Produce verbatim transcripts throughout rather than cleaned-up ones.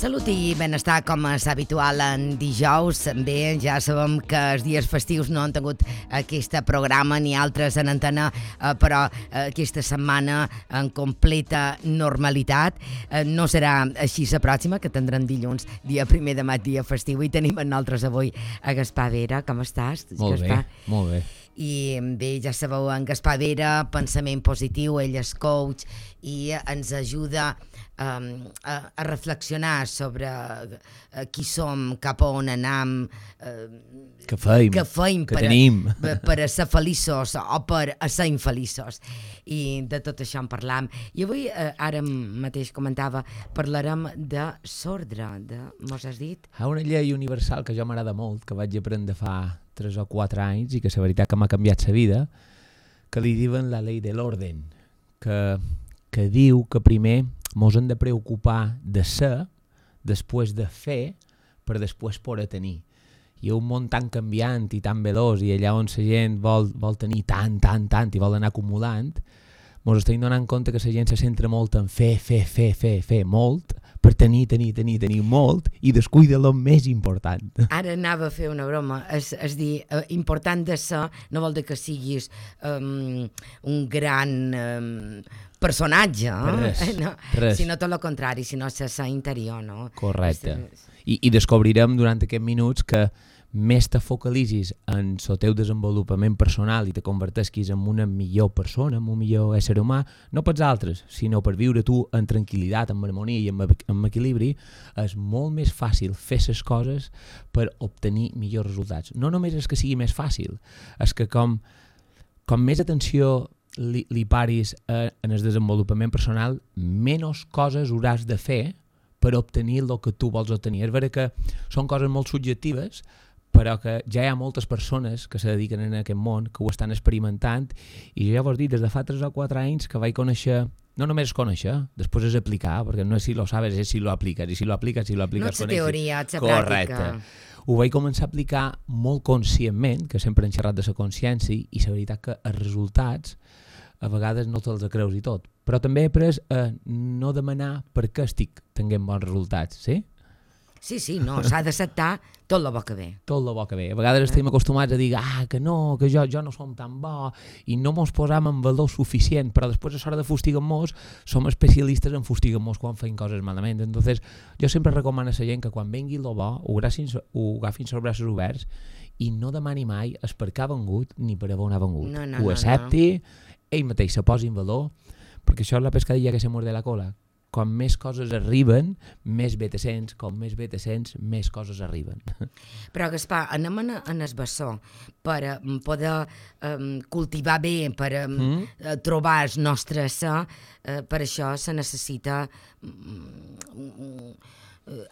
Salut i benestar, com és habitual en dijous. Bé, ja sabem que els dies festius no han tingut aquest programa ni altres en antena, però aquesta setmana en completa normalitat. No serà així la pròxima, que tindrem dilluns, dia primer de maig, dia festiu, i tenim en nosaltres avui a Gaspar Vera. Com estàs, molt Gaspar? Bé, molt bé. I bé, ja sabeu, en Gaspar Vera, pensament positiu, ell és coach i ens ajuda um, a, a reflexionar sobre uh, qui som, cap a on anam, uh, que feim, que, feim que per tenim. A, per a ser feliços o per a ser infeliços. I de tot això en parlam. I avui, uh, ara mateix comentava, parlarem de sordre, de, mos has dit? Hi ha una llei universal que jo m'agrada molt, que vaig aprendre fa tres o quatre anys i que la veritat que m'ha canviat la vida, que li diuen la llei de l'orden, que, que diu que primer mos hem de preocupar de ser, després de fer, per després poder tenir. I un món tan canviant i tan veloç, i allà on la gent vol, vol tenir tant, tant, tant i vol anar acumulant, mos estem donant compte que la gent se centra molt en fer, fer, fer, fer, fer molt, per tenir, tenir, tenir, tenir molt i descuida el més important. Ara anava a fer una broma, és, és dir, eh, important de ser no vol dir que siguis um, un gran um, personatge, eh? Res, no, res. sinó tot el contrari, sinó ser sa interior, no? Correcte. És, I, I descobrirem durant aquests minuts que més te focalitzis en el teu desenvolupament personal i te convertesquis en una millor persona, en un millor ésser humà, no pels altres, sinó per viure tu en tranquil·litat, en harmonia i en, en equilibri, és molt més fàcil fer les coses per obtenir millors resultats. No només és que sigui més fàcil, és que com, com més atenció li, li paris a, en el desenvolupament personal, menys coses hauràs de fer per obtenir el que tu vols obtenir. És vera que són coses molt subjectives, però que ja hi ha moltes persones que se dediquen a aquest món, que ho estan experimentant, i jo ja vos dic, des de fa tres o quatre anys que vaig conèixer, no només conèixer, després és aplicar, perquè no és si lo sabes, és si lo apliques, i si lo apliques, si lo apliques... No ets teoria, ets Correcte. pràctica. Ho vaig començar a aplicar molt conscientment, que sempre hem xerrat de la consciència, i la veritat que els resultats a vegades no te'ls creus i tot, però també he après a no demanar per què estic tenint bons resultats, sí? Sí, sí, no, s'ha d'acceptar tot el bo que ve. Tot el bo que ve. A vegades eh? estem acostumats a dir ah, que no, que jo, jo no som tan bo i no mos posam en valor suficient, però després a l'hora de fustigar-nos som especialistes en fustigar-nos quan feim coses malament. Entonces, jo sempre recomano a la gent que quan vengui el bo ho agafin, ho agafin els braços oberts i no demani mai és per què ha vengut ni per on ha vengut. No, no, ho accepti, no, no. Ell mateix se posi en valor, perquè això és la pescadilla que se morde la cola. Com més coses arriben, més bé te sents, com més bé te sents, més coses arriben. Però, Gaspar, anem en, en el bessó per um, poder um, cultivar bé, per um, mm? trobar el nostre ser, uh, per això se necessita um,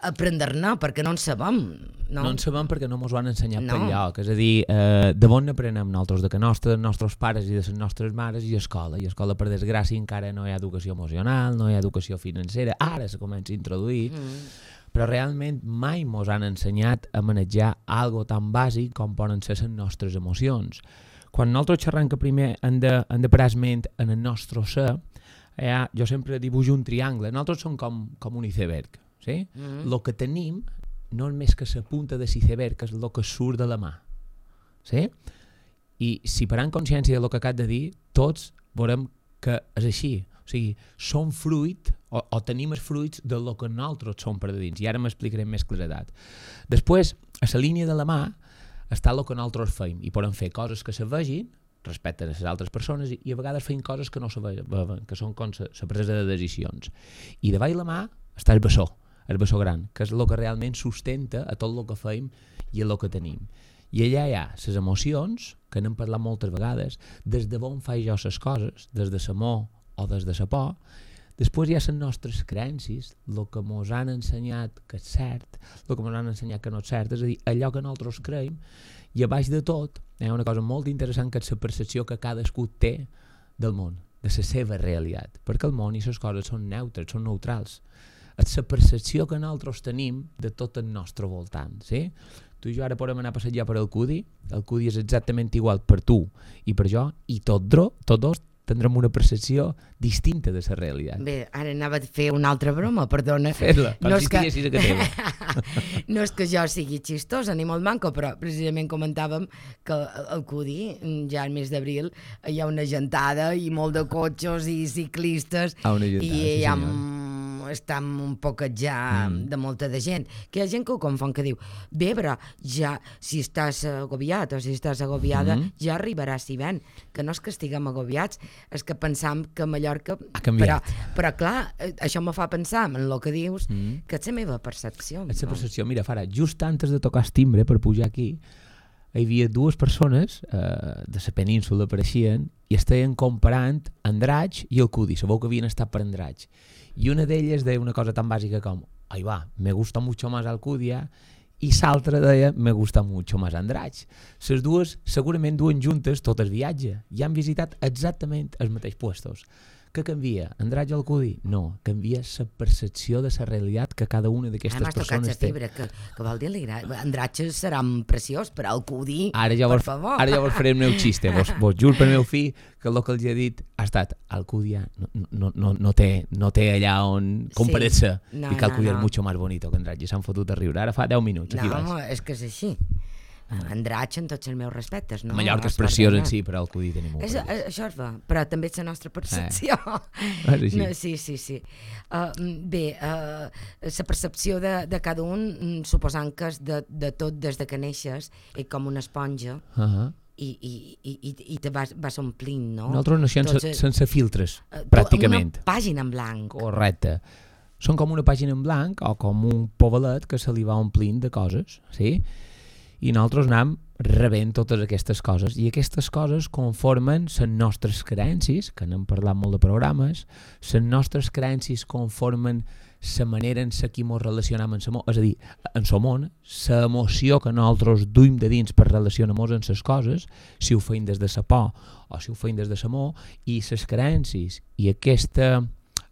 aprendre-ne, perquè no en sabem. No, no en sabem perquè no ens ho han ensenyat no. per lloc. És a dir, eh, de on n'aprenem nosaltres? De que nostre, dels nostres pares i de les nostres mares i escola. I escola, per desgràcia, encara no hi ha educació emocional, no hi ha educació financera. Ara se comença a introduir. Mm. Però realment mai ens han ensenyat a manejar algo tan bàsic com poden ser les nostres emocions. Quan nosaltres xerram que primer hem de, hem de prendre en el nostre ser, eh, jo sempre dibuixo un triangle. Nosaltres som com, com un iceberg. Sí? Mm. Lo que tenim no és més que la punta de l'iceberg, que és el que surt de la mà. Sí? I si parant consciència del que acabo de dir, tots veurem que és així. O sigui, som fruit, o, o tenim els fruits del que nosaltres som per dins. I ara m'explicaré amb més claredat. Després, a la línia de la mà està el que nosaltres feim. I podem fer coses que se vegin respecte a les altres persones i, i a vegades feim coses que no se veuen, que són com la presa de decisions. I davall la mà està el bessó. El bessó gran, que és el que realment sustenta a tot el que feim i el que tenim. I allà hi ha les emocions, que n'hem parlat moltes vegades, des de on faig jo les coses, des de l'amor o des de la por. Després hi ha les nostres creences, el que ens han ensenyat que és cert, el que ens han ensenyat que no és cert, és a dir, allò que nosaltres creiem, i a baix de tot hi ha una cosa molt interessant, que és la percepció que cadascú té del món, de la seva realitat, perquè el món i les coses són neutres, són neutrals. És la percepció que nosaltres tenim de tot el nostre voltant, sí? Tu i jo ara podem anar a passejar per el Cudi, el Cudi és exactament igual per tu i per jo, i tot dro, tots dos tindrem una percepció distinta de la realitat. Bé, ara anava a fer una altra broma, perdona. Fes-la, com no si que... estiguessis a casa teva. No és que jo sigui xistosa ni molt manco, però precisament comentàvem que al Cudi, ja al mes d'abril, hi ha una gentada i molt de cotxes i ciclistes ah, una gentada, i sí, hi ha senyor. està un poquet ja mm. de molta de gent, que hi ha gent que ho confon, que diu, bé, però ja si estàs agobiat o si estàs agobiada, mm. ja arribaràs si ven, que no és que estiguem agobiats, és que pensam que Mallorca... Ha canviat. Però, però clar, això me fa pensar en el que dius, mm. que és la meva percepció. És la percepció. Mira, Fara, just antes de tocar el timbre per pujar aquí, hi havia dues persones eh, de la península apareixien i estaven comparant Andratx i el Cudi, sabeu que havien estat per Andratx. I una d'elles deia una cosa tan bàsica com ahí va, me gusta mucho más Alcúdia, i l'altra deia me gusta mucho más Andratx. Les dues segurament duen juntes tot el viatge i han visitat exactament els mateixos puestos. Què canvia? Andratx o Alcudi? No, canvia la percepció de la realitat que cada una d'aquestes ah, persones té. Fibra, que, que vol dir Andratx serà preciós, però Alcudi, ara ja per vos, favor. Ara ja vos faré el meu xiste, vos, vos juro per meu fill que el que els he dit ha estat Alcúdia no, no, no, no, té, no té allà on comparar-se sí. no, i que Alcúdia no, no. és mucho más bonito que Andratx i s'han fotut a riure. Ara fa deu minuts, aquí no, vas. No, és que és així. Andratx en tots els meus respectes, no? Mallorca és preciós en si, però Alcudi tenim molt és, això és va, però també és la nostra percepció. Eh. És no, sí, sí, sí. Uh, bé, uh, la percepció de, de cada un, suposant que és de, de tot des de que neixes, és com una esponja, uh-huh. i, i, i, i te vas, vas omplint, no? Nosaltres naixem Tots, sense, sense filtres, uh, pràcticament. Una pàgina en blanc. Correcte. Són com una pàgina en blanc o com un povalet que se li va omplint de coses, sí? I nosaltres anem rebent totes aquestes coses i aquestes coses conformen les nostres creences, que n'hem parlat molt de programes, les nostres creences conformen la manera en la que ens relacionem amb el món, és a dir, en el món, l'emoció que nosaltres duim de dins per relacionar-nos amb les coses, si ho feim des de la por o si ho feim des de l'amor, i les creences i aquesta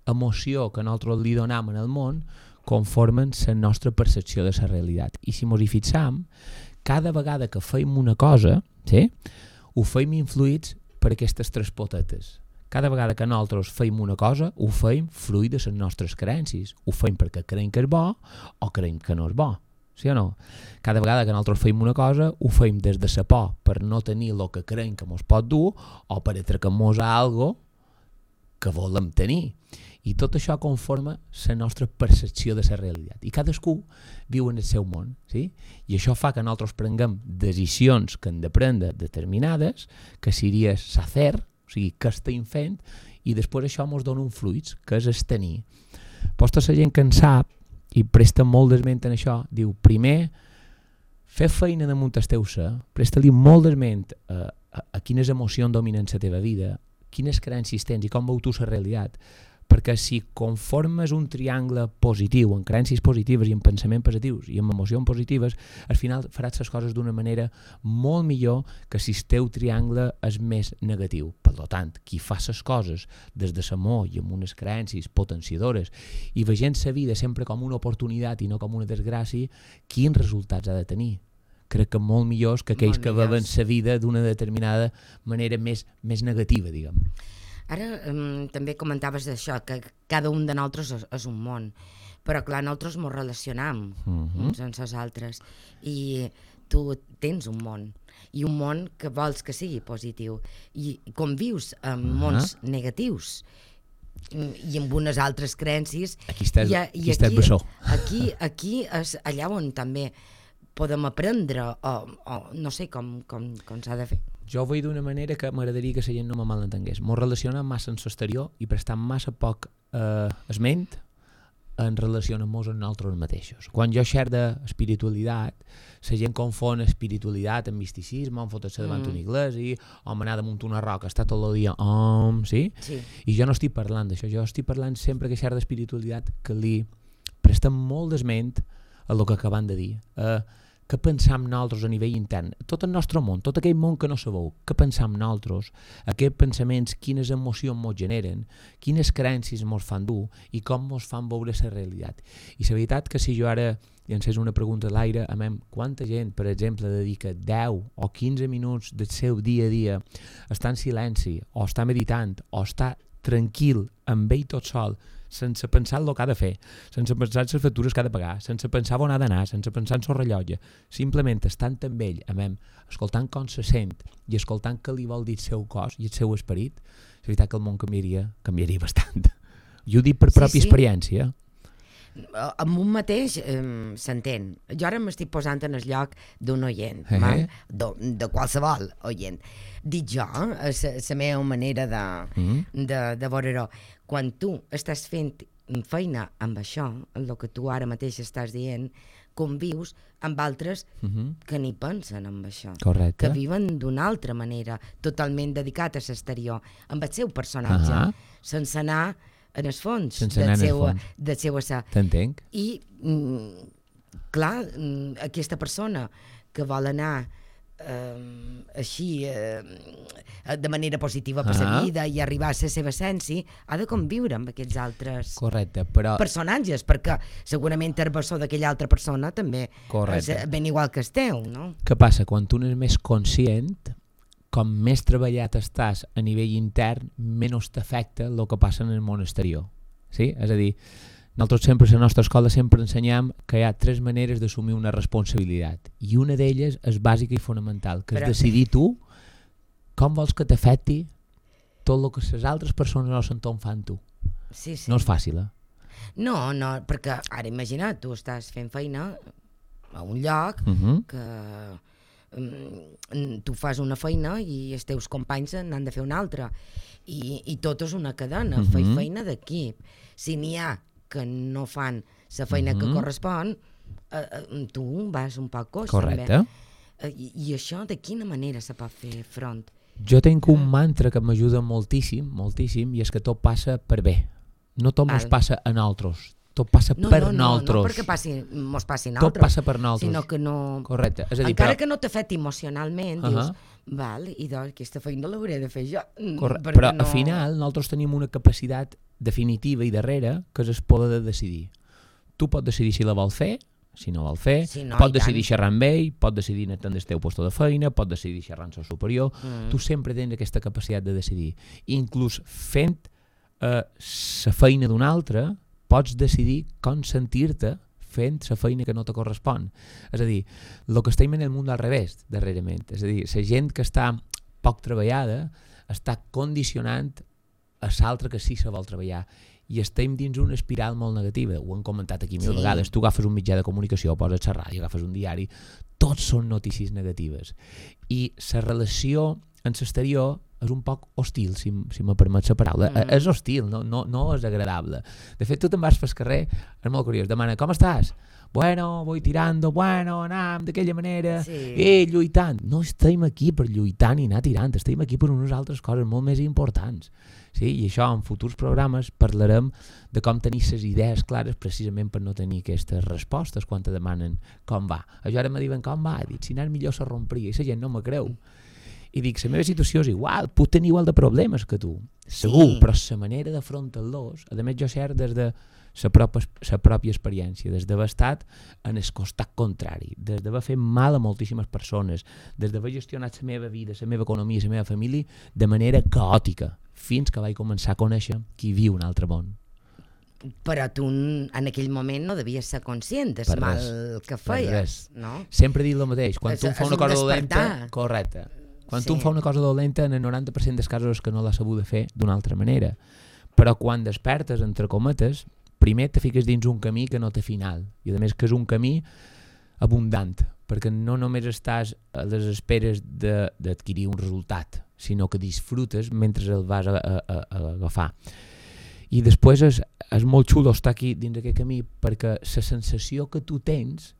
emoció que nosaltres li donem en el món conformen la nostra percepció de la realitat. I si ens hi fixam, cada vegada que feim una cosa, sí, ho feim influïts per aquestes tres potetes. Cada vegada que nosaltres feim una cosa, ho feim fruit de les nostres creences. Ho feim perquè creiem que és bo o creiem que no és bo. Sí o no? Cada vegada que nosaltres feim una cosa, ho feim des de la por per no tenir el que creiem que ens pot dur o per atracar-nos a algo que volem tenir. I tot això conforma la nostra percepció de la realitat. I cadascú viu en el seu món, sí? I això fa que nosaltres prenguem decisions que hem de prendre determinades, que seria sacer, o sigui, que estem fent, i després això ens dona un fruit, que és el tenir. Posta la gent que en sap, i presta molt d'esment en això, diu, primer, fer feina damunt el teu ser, presta-li molt d'esment a, a, a quines emocions dominen la teva vida, quines creences tens i com veu tu la realitat, perquè si conformes un triangle positiu, en creences positives i en pensaments positius i en emocions positives, al final faràs les coses d'una manera molt millor que si el teu triangle és més negatiu. Per tant, qui fa les coses des de l'amor i amb unes creences potenciadores i veient la vida sempre com una oportunitat i no com una desgràcia, quins resultats ha de tenir? Crec que molt millors que aquells que veuen la vida d'una determinada manera més, més negativa, diguem. Ara um, també comentaves això, que cada un de nosaltres és, és un món, però clar, nosaltres ens relacionam uh-huh. uns amb els altres i tu tens un món i un món que vols que sigui positiu i convius amb uh-huh. mons negatius i amb unes altres creences. Aquí estàs, i, aquí, aquí estàs bessó. Aquí, aquí és allà on també podem aprendre o, o no sé com, com, com s'ha de fer. Jo ho veig d'una manera que m'agradaria que la gent no me malentengués. M'ho relaciona massa en l'exterior i prestant massa poc eh, esment en relació amb nosaltres mateixos. Quan jo xer d'espiritualitat, la gent confon espiritualitat amb misticisme, em fotre-se davant mm. una iglesia, o m'anar damunt una roca, està tot el dia, om, sí? sí? I jo no estic parlant d'això, jo estic parlant sempre que xer d'espiritualitat que li prestem molt d'esment a el que acaben de dir. Eh, què pensam nosaltres a nivell intern, tot el nostre món, tot aquell món que no sabeu, què pensam nosaltres, aquests pensaments, quines emocions mos generen, quines creences mos fan dur i com mos fan veure la realitat. I la veritat que si jo ara llancés una pregunta a l'aire, a mem, quanta gent, per exemple, dedica deu o quinze minuts del seu dia a dia a estar en silenci, o està meditant, o està tranquil, amb ell tot sol, sense pensar el que ha de fer, sense pensar en les factures que ha de pagar, sense pensar on ha d'anar, sense pensar en el rellotge, simplement estant amb ell, amem, escoltant com se sent i escoltant què li vol dir el seu cos i el seu esperit, és veritat que el món canviaria, canviaria bastant. Jo ho dic per Sí, pròpia sí. experiència. Amb un mateix eh, s'entén. Jo ara m'estic posant en el lloc d'un oient, Eh. val? de, de qualsevol oient. Dic jo, la meva manera de, Mm. de, de veure-ho. Quan tu estàs fent feina amb això, el que tu ara mateix estàs dient, convius amb altres Mhm. que ni pensen en això, Correcte. que viven d'una altra manera, totalment dedicat a l'exterior, amb el seu personatge, Ahà. sense anar en el fons Sense del anar en el seu, fons. del seu ésser. T'entenc? I, mm, clar, mm, aquesta persona que vol anar eh, així eh, de manera positiva per la Ah. vida i arribar a la seva essència, ha de conviure amb aquests altres Correcte, però... personatges, perquè segurament el bessó d'aquella altra persona també Correcte. és ben igual que el teu, no? Què passa? Quan tu n'és més conscient, com més treballat estàs a nivell intern, menys t'afecta el que passa en el món exterior. Sí? És a dir, nosaltres sempre a la nostra escola sempre ensenyam que hi ha tres maneres d'assumir una responsabilitat i una d'elles és bàsica i fonamental, que és Però- decidir tu com vols que t'afecti tot el que les altres persones no s'entorn fan tu. Sí, sí. No és fàcil, eh? No, no, perquè ara imagina't, tu estàs fent feina a un lloc Uh -huh. que mm, tu fas una feina i els teus companys n'han de fer una altra i, i tot és una cadena, uh Mhm. -huh. feina d'equip. Si n'hi ha que no fan la feina uh -huh. que Mhm. correspon, eh, eh, tu vas un poc coix Correcte. també. Eh, I, I això de quina manera se pot fer front? Jo tinc un mantra que m'ajuda moltíssim, moltíssim, i és que tot passa per bé. No tot mos Val. passa a nosaltres, tot passa No, per no, no, nosaltres. no perquè passi, mos passi a Tot nosaltres, passa per nosaltres. sinó que no... Correcte. És a dir, Encara però... que no t'afecti emocionalment, Uh-huh. dius, val, i doncs aquesta feina l'hauré de fer jo. mm, Corre... perquè Però no... al final nosaltres tenim una capacitat definitiva i darrere que és el poder de decidir. Tu pots decidir si la vols fer, si no vol fer, Sí, no, pots i decidir tant. xerrar amb ell, pots decidir anar del teu lloc de feina, pots decidir xerrar amb el superior, Mm. tu sempre tens aquesta capacitat de decidir. Inclús fent la uh, feina d'un altre, pots decidir com sentir-te fent la feina que no te correspon. És a dir, el que estem en el món al revés, darrerament. És a dir, la gent que està poc treballada està condicionant a l'altre que sí se vol treballar. I estem dins una espiral molt negativa. Ho hem comentat aquí mil Sí. vegades. Tu agafes un mitjà de comunicació, poses la ràdio, agafes un diari, tots són notícies negatives. I la relació en l'exterior és un poc hostil, si, si me permet la paraula. Mm. És hostil, no, no, no és agradable. De fet, tu te'n vas pel carrer, és molt curiós, demana, com estàs? Bueno, voy tirando, bueno, anam d'aquella manera, Sí. eh, lluitant. No estem aquí per lluitar ni anar tirant, estem aquí per unes altres coses molt més importants. Sí? I això, en futurs programes, parlarem de com tenir les idees clares precisament per no tenir aquestes respostes quan te demanen com va. Això ara me diuen com va, dic, si anés millor se rompria, i la gent no me creu. I dic, la meva situació és igual, puc tenir igual de problemes que tu, segur, Sí. però la manera d'afrontar-los, a més jo cert des de la pròpia, la pròpia experiència, des d'haver estat en el costat contrari, des d'haver fet mal a moltíssimes persones, des d'haver gestionat la meva vida, la meva economia, la meva família de manera caòtica, fins que vaig començar a conèixer qui viu un altre món. Però tu en aquell moment no devies ser conscient del Per mal res, que per feies, res. no? Sempre dic el mateix, quan És- tu em fa és una un cosa despertar. dolenta... Correcte. Quan Sí. tu em fa una cosa dolenta, en el noranta per cent dels casos és que no l'has sabut de fer d'una altra manera. Però quan despertes, entre cometes, primer te fiques dins un camí que no té final. I a més que és un camí abundant, perquè no només estàs a les esperes de- d'adquirir un resultat, sinó que disfrutes mentre el vas a, a, a, a agafar. I després és, és molt xulo estar aquí dins aquest camí perquè la sensació que tu tens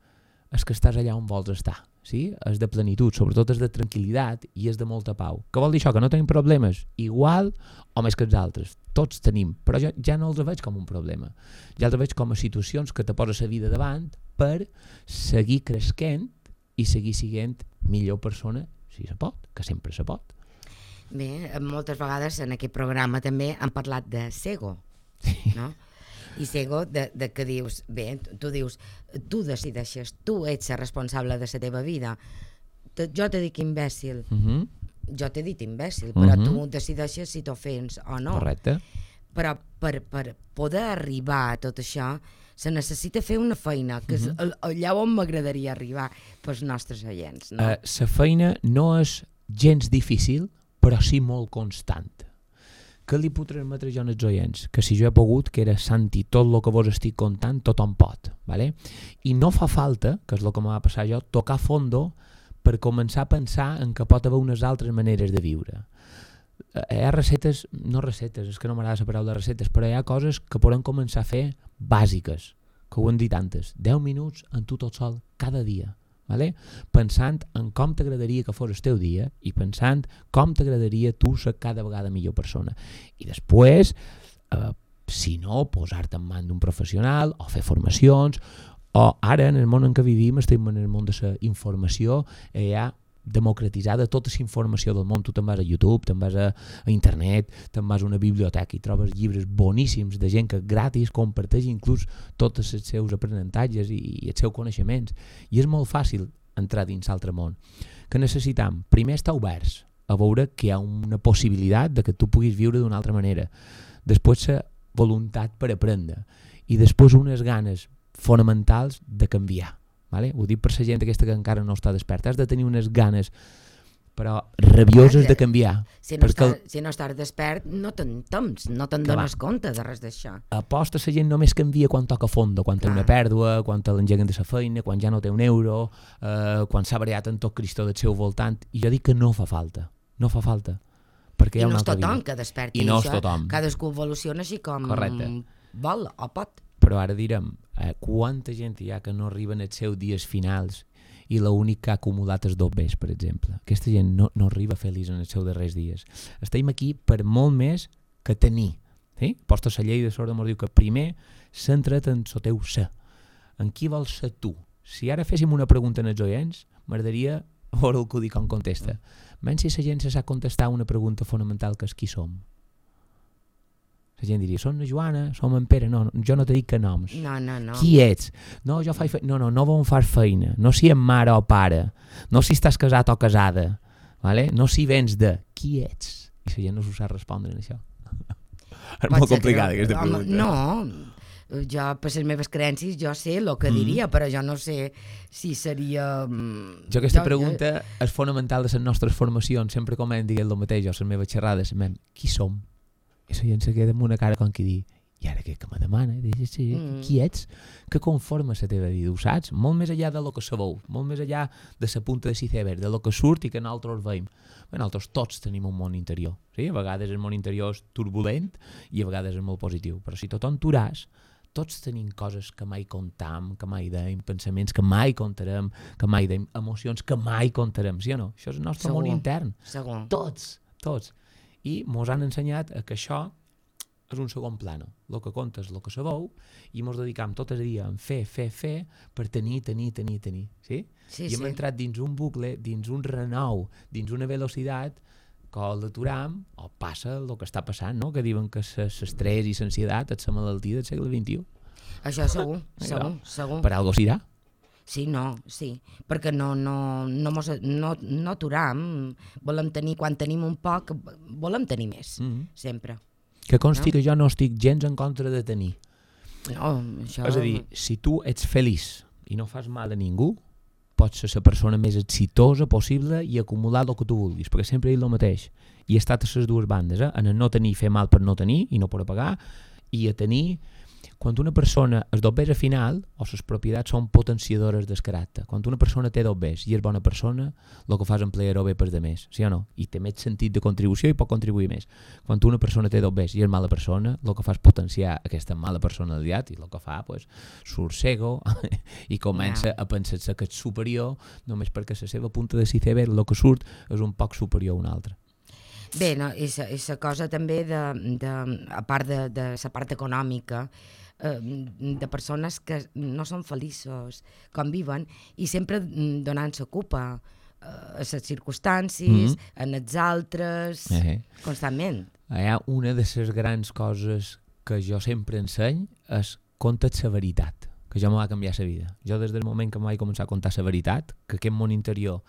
és que estàs allà on vols estar. Sí? És de plenitud, sobretot és de tranquil·litat i és de molta pau. Què vol dir això? Que no tenim problemes igual o més que els altres. Tots tenim, però jo ja no els veig com un problema. Ja els veig com a situacions que te posa la vida davant per seguir cresquent i seguir sent millor persona, si se pot, que sempre se pot. Bé, moltes vegades en aquest programa també han parlat de Sego, no? I Sego, de, de que dius, bé, tu dius, tu decideixes, tu ets el responsable de la teva vida. Te, jo te dic imbècil, Uh-huh. jo t'he dit imbècil, però Mhm. tu decideixes si t'ofens o no. Correcte. Però per, per poder arribar a tot això se necessita fer una feina, que és Mhm. allà on m'agradaria arribar pels nostres oients. No? La uh, feina no és gens difícil, però sí molt constant. Què li puc transmetre jo als oients? Que si jo he pogut, que era sentir tot el que vos estic contant, tothom pot. ¿Vale? I no fa falta, que és el que m'ha passat jo, tocar fondo per començar a pensar en que pot haver unes altres maneres de viure. Hi ha receptes, no receptes, és que no m'agrada la paraula receptes, però hi ha coses que podem començar a fer bàsiques, que ho hem dit antes, deu minuts en tu tot sol, cada dia. Vale? Pensant en com t'agradaria que fos el teu dia i pensant com t'agradaria tu ser cada vegada millor persona. I després, eh, si no, posar-te en mans d'un professional o fer formacions, o ara, en el món en què vivim, estem en el món de la informació, eh, hi ha democratitzada tota la informació del món. Tu te'n vas a YouTube, te'n vas a, a internet, te'n vas a una biblioteca i trobes llibres boníssims de gent que gratis comparteix inclús tots els seus aprenentatges i, i els seus coneixements. I és molt fàcil entrar dins l'altre món. Què necessitam? Primer estar oberts a veure que hi ha una possibilitat de que tu puguis viure d'una altra manera. Després la voluntat per aprendre. I després unes ganes fonamentals de canviar. Vale? Ho dic per la gent aquesta que encara no està desperta. Has de tenir unes ganes però rabioses de canviar. Si no, perquè està, si no estàs despert, no te'n temps, no te'n dones compte de res d'això. Aposta la gent només canvia quan toca fondo, quan té una pèrdua, quan te l'engeguen de la feina, quan ja no té un euro, eh, quan s'ha variat en tot Cristo del seu voltant. I jo dic que no fa falta, no fa falta. Perquè hi ha I no una és altra tothom vida. que desperti I no això. és tothom. Cadascú evoluciona així com Correcte. vol o pot. Però ara direm, eh, quanta gent hi ha que no arriben als seus dies finals i l'únic que ha acumulat és dobbers, per exemple. Aquesta gent no, no arriba feliç en els seus darrers dies. Estem aquí per molt més que tenir. Sí? Posta la llei de sorda ens diu que primer centra't en el teu ser. En qui vols ser tu? Si ara féssim una pregunta als oients, m'agradaria veure el que ho dic com contesta. Menys si la gent se sap contestar una pregunta fonamental que és qui som. La gent diria, som la Joana, som en Pere, no, jo no t'he dit que noms. No, no, no. Qui ets? No, jo faig feina. No, no, no on fas feina. No si ets mare o pare. No si estàs casat o casada. Vale? No si vens de qui ets. I la gent no s'ho sap respondre en això. És molt complicada aquesta pregunta. No, jo per les meves creences jo sé el que diria, mm. però jo no sé si seria... Jo aquesta jo, pregunta jo... és fonamental de les nostres formacions. Sempre com hem dit el mateix, o les meves xerrades, qui som? I la gent se queda amb una cara com qui dir i ara què que me demana? Dius, sí, mm. Qui ets? Què conforma la teva vida? Ho saps? Molt més enllà de lo que sabeu, molt més enllà de la punta de l'iceberg, de lo que surt i que nosaltres veiem. Bé, nosaltres tots tenim un món interior. Sí? A vegades el món interior és turbulent i a vegades és molt positiu. Però si tothom turàs, tots tenim coses que mai contam, que mai deim, pensaments que mai contarem, que mai deim, emocions que mai contarem, sí o no? Això és el nostre Segur. món intern. Segur. Tots, tots. I mos han ensenyat que això és un segon plano. El que compta és el que sabeu i mos dedicam tot el dia a fer, fer, fer per tenir, tenir, tenir, tenir. Sí? Sí, I hem sí. entrat dins un bucle, dins un renou, dins una velocitat que o l'aturam o passa el que està passant, no? Que diuen que l'estrès i l'ansietat és la malaltia del segle vint-i-u. Això segur, segur, segur. Per algo s'irà. Sí, no, sí, perquè no, no, no, mos, no, no aturam, volem tenir, quan tenim un poc, volem tenir més, Mm-hmm. sempre. Que consti No? que jo no estic gens en contra de tenir. No, això... És a dir, si tu ets feliç i no fas mal a ningú, pots ser la persona més exitosa possible i acumular el que tu vulguis, perquè sempre he dit el mateix. I he estat a les dues bandes, eh? En el no tenir, fer mal per no tenir i no poder pagar, i a tenir... Quan una persona és dobbers final, o les propietats són potenciadores del caràcter. Quan una persona té dobbers i és bona persona, el que fa és emplear-ho bé per de més, sí o no? I té més sentit de contribució i pot contribuir més. Quan una persona té dobbers i és mala persona, el que fa és potenciar aquesta mala personalitat i el que fa, pues, surt cego i comença yeah. a pensar-se que és superior només perquè la seva punta de l'iceberg, el que surt és un poc superior a un altre. Bé, no, és la cosa també de, de, a part de, de la part econòmica, eh, de persones que no són feliços com viven i sempre donant la culpa eh, a les circumstàncies, mm-hmm. en els altres, eh. constantment. Hi ha una de les grans coses que jo sempre enseny és conta't la veritat, que jo me va canviar la vida. Jo des del moment que em vaig començar a contar la veritat, que aquest món interior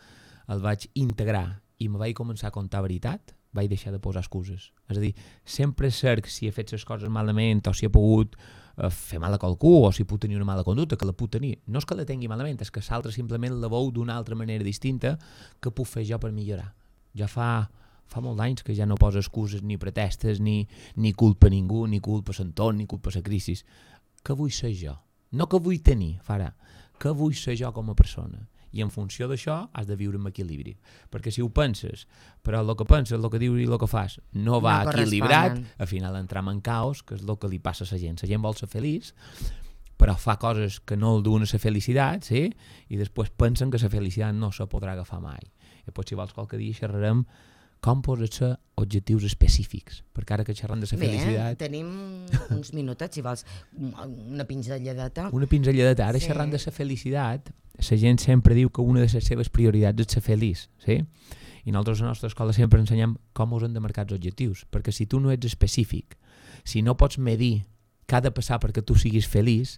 el vaig integrar i me vaig començar a contar veritat, vaig deixar de posar excuses. És a dir, sempre cerc si he fet les coses malament o si he pogut eh, fer mal a qualcú o si puc tenir una mala conducta, que la puc tenir. No és que la tingui malament, és que l'altre simplement la veu d'una altra manera distinta que puc fer jo per millorar. Ja fa, fa molts anys que ja no poso excuses ni pretestes, ni, ni culpa a ningú, ni culpa a l'entorn, ni culpa a la crisi. Què vull ser jo? No que vull tenir, farà. Què vull ser jo com a persona? I en funció d'això has de viure amb equilibri. Perquè si ho penses, però el que penses, el que dius i el que fas no va no equilibrat, al final entram en caos, que és el que li passa a la gent. La gent vol ser feliç, però fa coses que no el duen a la felicitat, sí? I després pensen que la felicitat no se podrà agafar mai. I després, si vols, qualque dia xerrarem com posar-se objectius específics, perquè ara que xerrem de la felicitat... Bé, tenim uns minutets, si vols, una pinzelladeta. Una pinzelladeta. Ara sí. Xerrant de la felicitat, la gent sempre diu que una de les seves prioritats és ser feliç, sí? I nosaltres a la nostra escola sempre ensenyem com us han de marcar els objectius, perquè si tu no ets específic, si no pots medir què ha de passar perquè tu siguis feliç,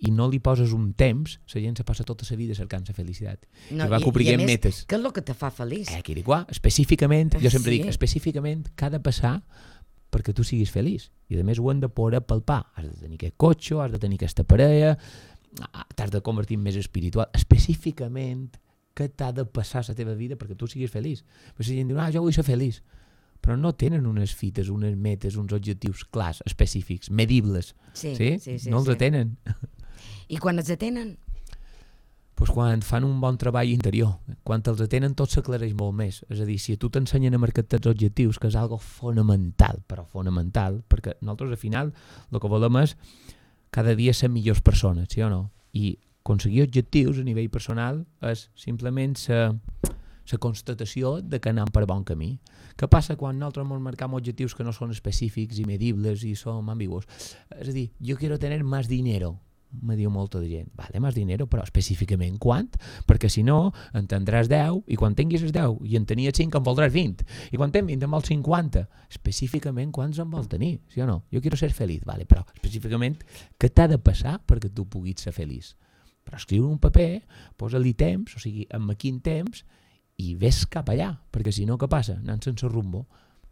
i no li poses un temps, la gent se passa tota la vida cercant la felicitat. No, I va cobrint metes. Què és el que te fa feliç? Eh, Quiriquà, específicament, jo sempre sí. dic, específicament, què ha de passar perquè tu siguis feliç. I a més ho hem de poder palpar. Has de tenir aquest cotxe, has de tenir aquesta parella, t'has de convertir en més espiritual. Específicament, què t'ha de passar a la teva vida perquè tu siguis feliç. Però la gent diu, ah, jo vull ser feliç. Però no tenen unes fites, unes metes, uns objectius clars, específics, medibles. Sí, sí? sí, sí no els sí. atenen. I quan els atenen? Pues quan fan un bon treball interior. Quan els atenen tot s'aclareix molt més. És a dir, si a tu t'ensenyen a marcar els objectius, que és algo fonamental, però fonamental, perquè nosaltres al final el que volem és cada dia ser millors persones, sí o no? I aconseguir objectius a nivell personal és simplement la la constatació de que anem per bon camí. Què passa quan nosaltres ens marcam objectius que no són específics i medibles i són ambigus? És a dir, jo quiero tener más dinero, me diu molta de gent. Vale, más dinero, però específicament quant? Perquè si no, en tindràs deu i quan tinguis els deu i en tenies cinc en voldràs vint i quan tens vint en vols cinquanta. Específicament quants en vols tenir, sí o no? Jo quiero ser feliç, vale, però específicament què t'ha de passar perquè tu puguis ser feliç? Però escriure un paper, posa-li temps, o sigui, amb quin temps, i ves cap allà, perquè si no, què passa? Anant sense rumbo.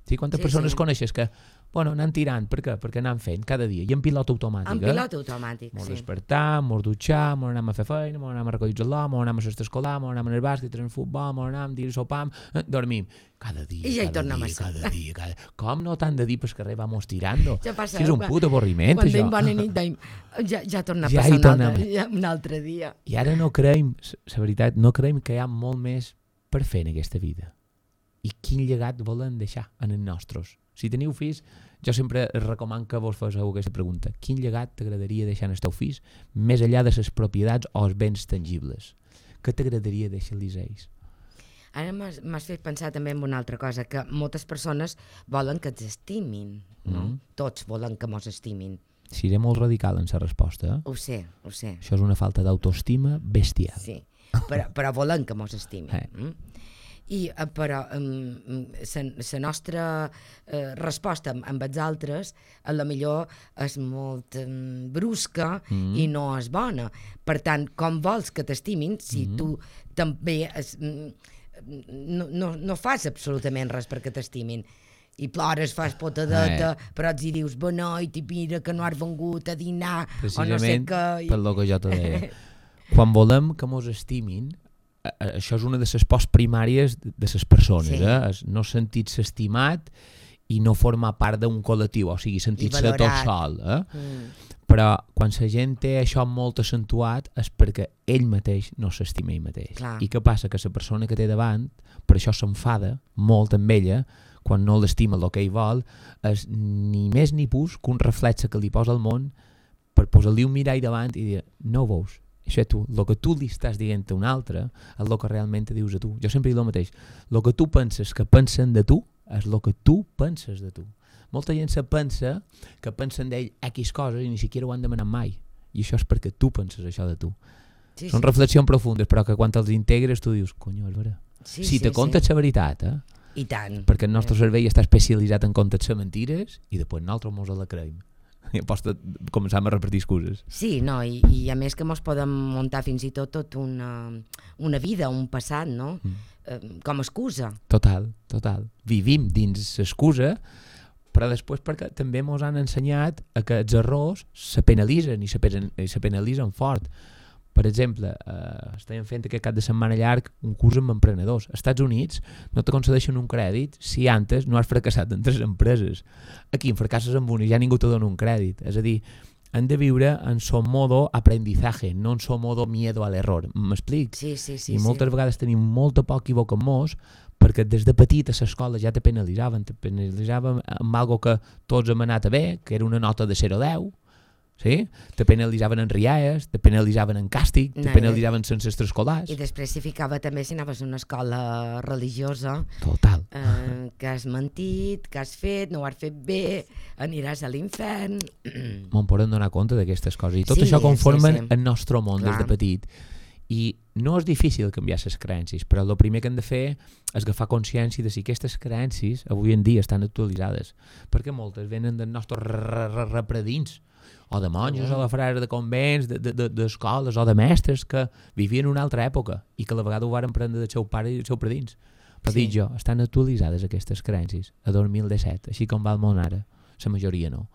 Sí, quantes sí, persones sí. coneixes que, bueno, anan tirant, per què? Perquè anan fent cada dia, i en pilot automàtic. En pilot automàtic, mos sí. Mos despertam, mos dutxam, mos anem a fer feina, mos anem a recollir el mos anem a l'estat escolar, mos anem al bàsquet, al futbol, mos anem a dir sopam, eh, dormim. Cada dia, I ja hi cada tornem dia, a ser. cada dia, cada dia. Com no t'han de dir pel carrer vamos tirando? Ja passa, si és un put avorriment, quan això. Quan bona nit, deim, ja, ja torna a ja passar un altre, a... ja, un altre dia. I ara no creiem, la veritat, no creiem que hi ha molt més per fer en aquesta vida. I quin llegat volen deixar en els nostres? Si teniu fills, jo sempre recomano que vos feu aquesta pregunta. Quin llegat t'agradaria deixar en els teus fills, més enllà de les propietats o els béns tangibles? Què t'agradaria deixar-los a ells? Ara m'has fet pensar també en una altra cosa, que moltes persones volen que ens estimin. No? Mm. Tots volen que mos estimin. Seré molt radical en la resposta. Eh? Ho sé, ho sé. Això és una falta d'autoestima bestial. Sí, però, però volen que mos estimin. Eh. Mm? I, però la nostra eh, resposta amb, amb els altres a la millor és molt eh, brusca mm. i no és bona. Per tant, com vols que t'estimin si mm. tu també es, no, no, no fas absolutament res perquè t'estimin? I plores, fas potadeta, eh. però els hi dius beneit i mira que no has vengut a dinar o no sé què. Per lo que jo te deia. Quan volem que mos estimin, això és una de les pors primàries de les persones, sí. eh? És no sentir-se estimat i no formar part d'un col·lectiu, o sigui, sentir-se tot sol. Eh? Mm. Però quan la gent té això molt accentuat és perquè ell mateix no s'estima ell mateix. Clar. I què passa? Que la persona que té davant, per això s'enfada molt amb ella, quan no l'estima el que ell vol, és ni més ni pus que un reflexe que li posa al món per posar-li un mirall davant i dir, no ho veus? Això tu, el que tu li estàs dient a un altre és el que realment te dius a tu. Jo sempre dic el mateix. El que tu penses que pensen de tu és el que tu penses de tu. Molta gent se pensa que pensen d'ell X coses i ni siquiera ho han demanat mai. I això és perquè tu penses això de tu. Sí, Són sí, reflexions sí. profundes, però que quan els integres tu dius, conyo, és vera. Sí, si sí, te contes sí. la veritat, eh? I tant. Perquè el nostre cervell està especialitzat en contar-se mentires i després nosaltres mos la creiem. I aposta començam a repetir excuses. Sí, no, i, i a més que mos podem muntar fins i tot tot una, una vida, un passat, no? Mm. Eh, com a excusa. Total, total. Vivim dins l'excusa, però després perquè també mos han ensenyat a que els errors se penalitzen i se, pen i se penalitzen fort. Per exemple, eh, estàvem fent aquest cap de setmana llarg un curs amb emprenedors. Als Estats Units no te concedeixen un crèdit si antes no has fracassat en tres empreses. Aquí en fracasses amb una i ja ningú te dona un crèdit. És a dir, hem de viure en son modo aprendizaje, no en son modo miedo a l'error. M'explic? Sí, sí, sí. I moltes sí. vegades tenim molta por equivocar-nos perquè des de petit a l'escola ja te penalitzaven, te penalitzaven amb algo que tots hem anat a bé, que era una nota de zero a deu, sí? Te penalitzaven en rialles, te penalitzaven en càstig, te no, penalitzaven sense extraescolars. I després s'hi ficava també si anaves a una escola religiosa. Total. Eh, que has mentit, que has fet, no ho has fet bé, aniràs a l'infern. Me'n podem donar compte d'aquestes coses. I tot sí, això conformen sí, sí. el nostre món Clar. Des de petit. I no és difícil canviar les creences, però el primer que hem de fer és agafar consciència de si aquestes creences avui en dia estan actualitzades. Perquè moltes venen dels nostres repredins, o de monjos, o de frares de convents, d'escoles, o de mestres que vivien una altra època i que a la vegada ho van prendre del seu pare i del seu predins. Però sí. dic jo, estan actualitzades aquestes creences a dos mil disset, així com va el món ara. La majoria no.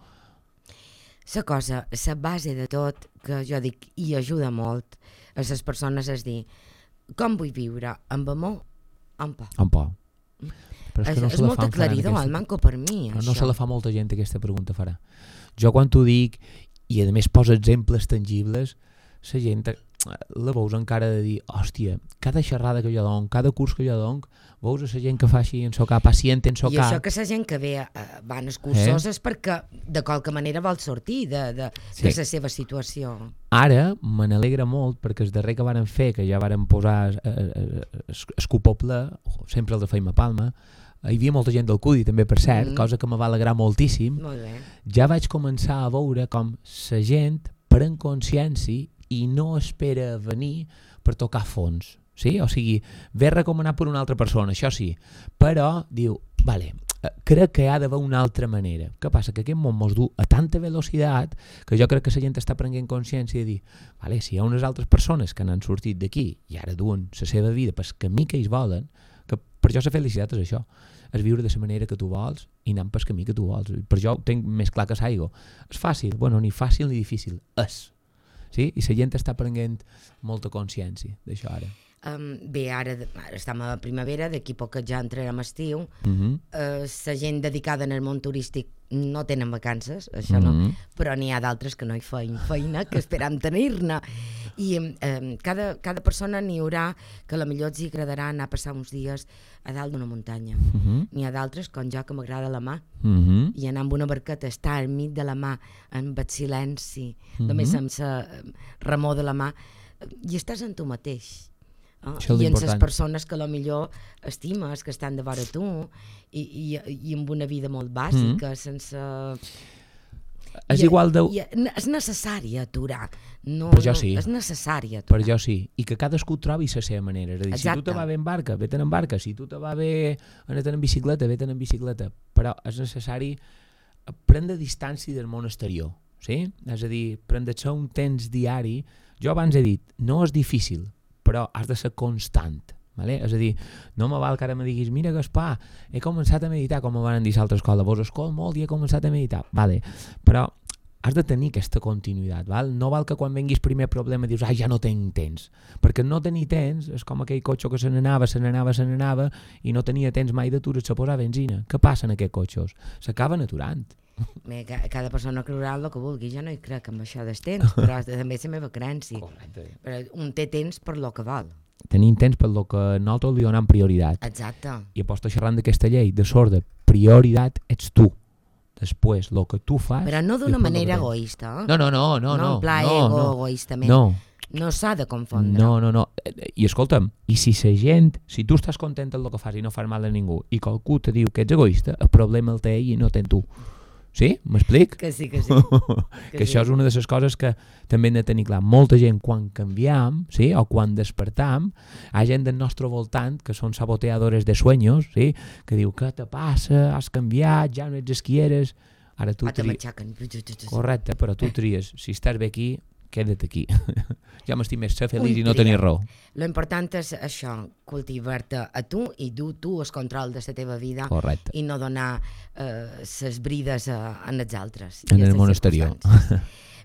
La cosa, la base de tot, que jo dic i ajuda molt a les persones és dir, com vull viure, amb amor o amb por? Amb por. Però és, que no és molt aclaridor, aquesta... el manco per mi, no, això. No se la fa molta gent aquesta pregunta farà. Jo quan t'ho dic, i a més posa exemples tangibles, la gent la veus encara de dir, hòstia, cada xerrada que jo dono, cada curs que jo dono, veus a la gent que fa així en so cap, pacient en so cap. I això que la gent que ve uh, van als cursos eh? És perquè de qualque manera vol sortir de, de, sí. de la seva situació. Ara me n'alegra molt perquè el darrer que varen fer, que ja varen posar el cupoble, sempre el de Feima Palma, hi havia molta gent del C U D I també, per cert, mm. cosa que me va alegrar moltíssim. Molt bé. Ja vaig començar a veure com la gent pren consciència i no espera venir per tocar fons. Sí? O sigui, ve recomanat per una altra persona, això sí, però diu, vale, crec que hi ha d'haver una altra manera. Què passa? Que aquest món mos du a tanta velocitat que jo crec que la gent està prenent consciència de dir, vale, si hi ha unes altres persones que n'han sortit d'aquí i ara duen la seva vida pel camí que ells volen, que per això la felicitat és això, és viure de la manera que tu vols i anar pel camí que tu vols. Per jo ho tinc més clar que l'aigua. És fàcil? Bueno, ni fàcil ni difícil. És. Sí? I la gent està prenent molta consciència d'això ara. Um, bé, ara, ara estem a primavera, d'aquí poc ja entrarem a estiu. Uh-huh. uh, la gent dedicada en el món turístic no tenen vacances, això uh-huh. no, però n'hi ha d'altres que no hi feien feina, que esperam tenir-ne. I um, cada, cada persona n'hi haurà que a la millor els hi agradarà anar a passar uns dies a dalt d'una muntanya. Uh-huh. N'hi ha d'altres, com jo, que m'agrada la mà, uh-huh. i anar amb una barqueta, estar al mig de la mà, amb el silenci, uh-huh. només amb la remor de la mà, i estàs en tu mateix. Oh, i en les persones que a lo millor estimes, que estan de vora tu i, i, i amb una vida molt bàsica, mm-hmm. sense... És I, igual de... I, és necessari aturar. No, per jo sí. No, és necessari aturar. Per jo sí. I que cadascú trobi la seva manera. És a dir, Exacte. Si tu te va bé en barca, vés-te'n en barca. Si tu te va bé anar-te'n en bicicleta, vés-te'n en bicicleta. Però és necessari prendre distància del món exterior. Sí? És a dir, prendre-se un temps diari. Jo abans he dit, no és difícil, però has de ser constant, vale? És a dir, no me val que ara me diguis, mira Gaspar, he començat a meditar, com me van dir a l'altra escola, vos escol molt i he començat a meditar, vale. Però has de tenir aquesta continuïtat, val? No val que quan venguis primer problema dius, ai, ja no tinc temps, perquè no tenir temps és com aquell cotxe que se n'anava, se n'anava, se n'anava i no tenia temps mai d'aturar-se a posar benzina. Què passa en aquests cotxes? S'acaben aturant. Bé, cada persona creurà el que vulgui, jo no hi crec amb això del temps, però també és la meva creencia. Correcte. Però un té temps per lo que vol. Tenim temps per lo que nosaltres li donem prioritat. Exacte. I aposto xerrant d'aquesta llei de sorda, prioritat ets tu. Després, el que tu fas... Però no d'una manera egoista. Eh? No, no, no, no. No en pla no, ego, no. egoistament. No. No s'ha de confondre. No, no, no. I escolta'm, i si la gent, si tu estàs content del que fas i no fas mal a ningú, i qualcú te diu que ets egoista, el problema el té ell i no ten tu. Sí? M'explic? Que sí, que sí. que que sí. Això és una de les coses que també hem de tenir clar. Molta gent, quan canviam, sí? O quan despertam, hi ha gent del nostre voltant que són saboteadores de sueños, sí? Que diu, què te passa? Has canviat, ja no ets el que eres. Ara tu tries... Correcte, però tu tries. Si estàs bé aquí, queda't aquí. Ja m'estic més ser feliç i no tenir raó. Lo important és això, cultivar-te a tu i dur tu el control de la teva vida. Correcte. I no donar les eh, brides a, a els altres. En el món exterior.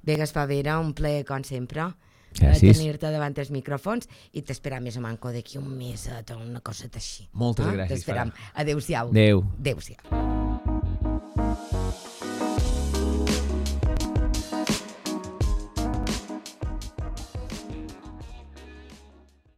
Bé, Gaspar Vera, un plaer, com sempre, gràcies. tenir-te davant els micròfons i t'esperam més o manco d'aquí un mes, una cosa així. Moltes ah? gràcies. T'esperam. Adéu-siau. Adéu. Adéu-siau.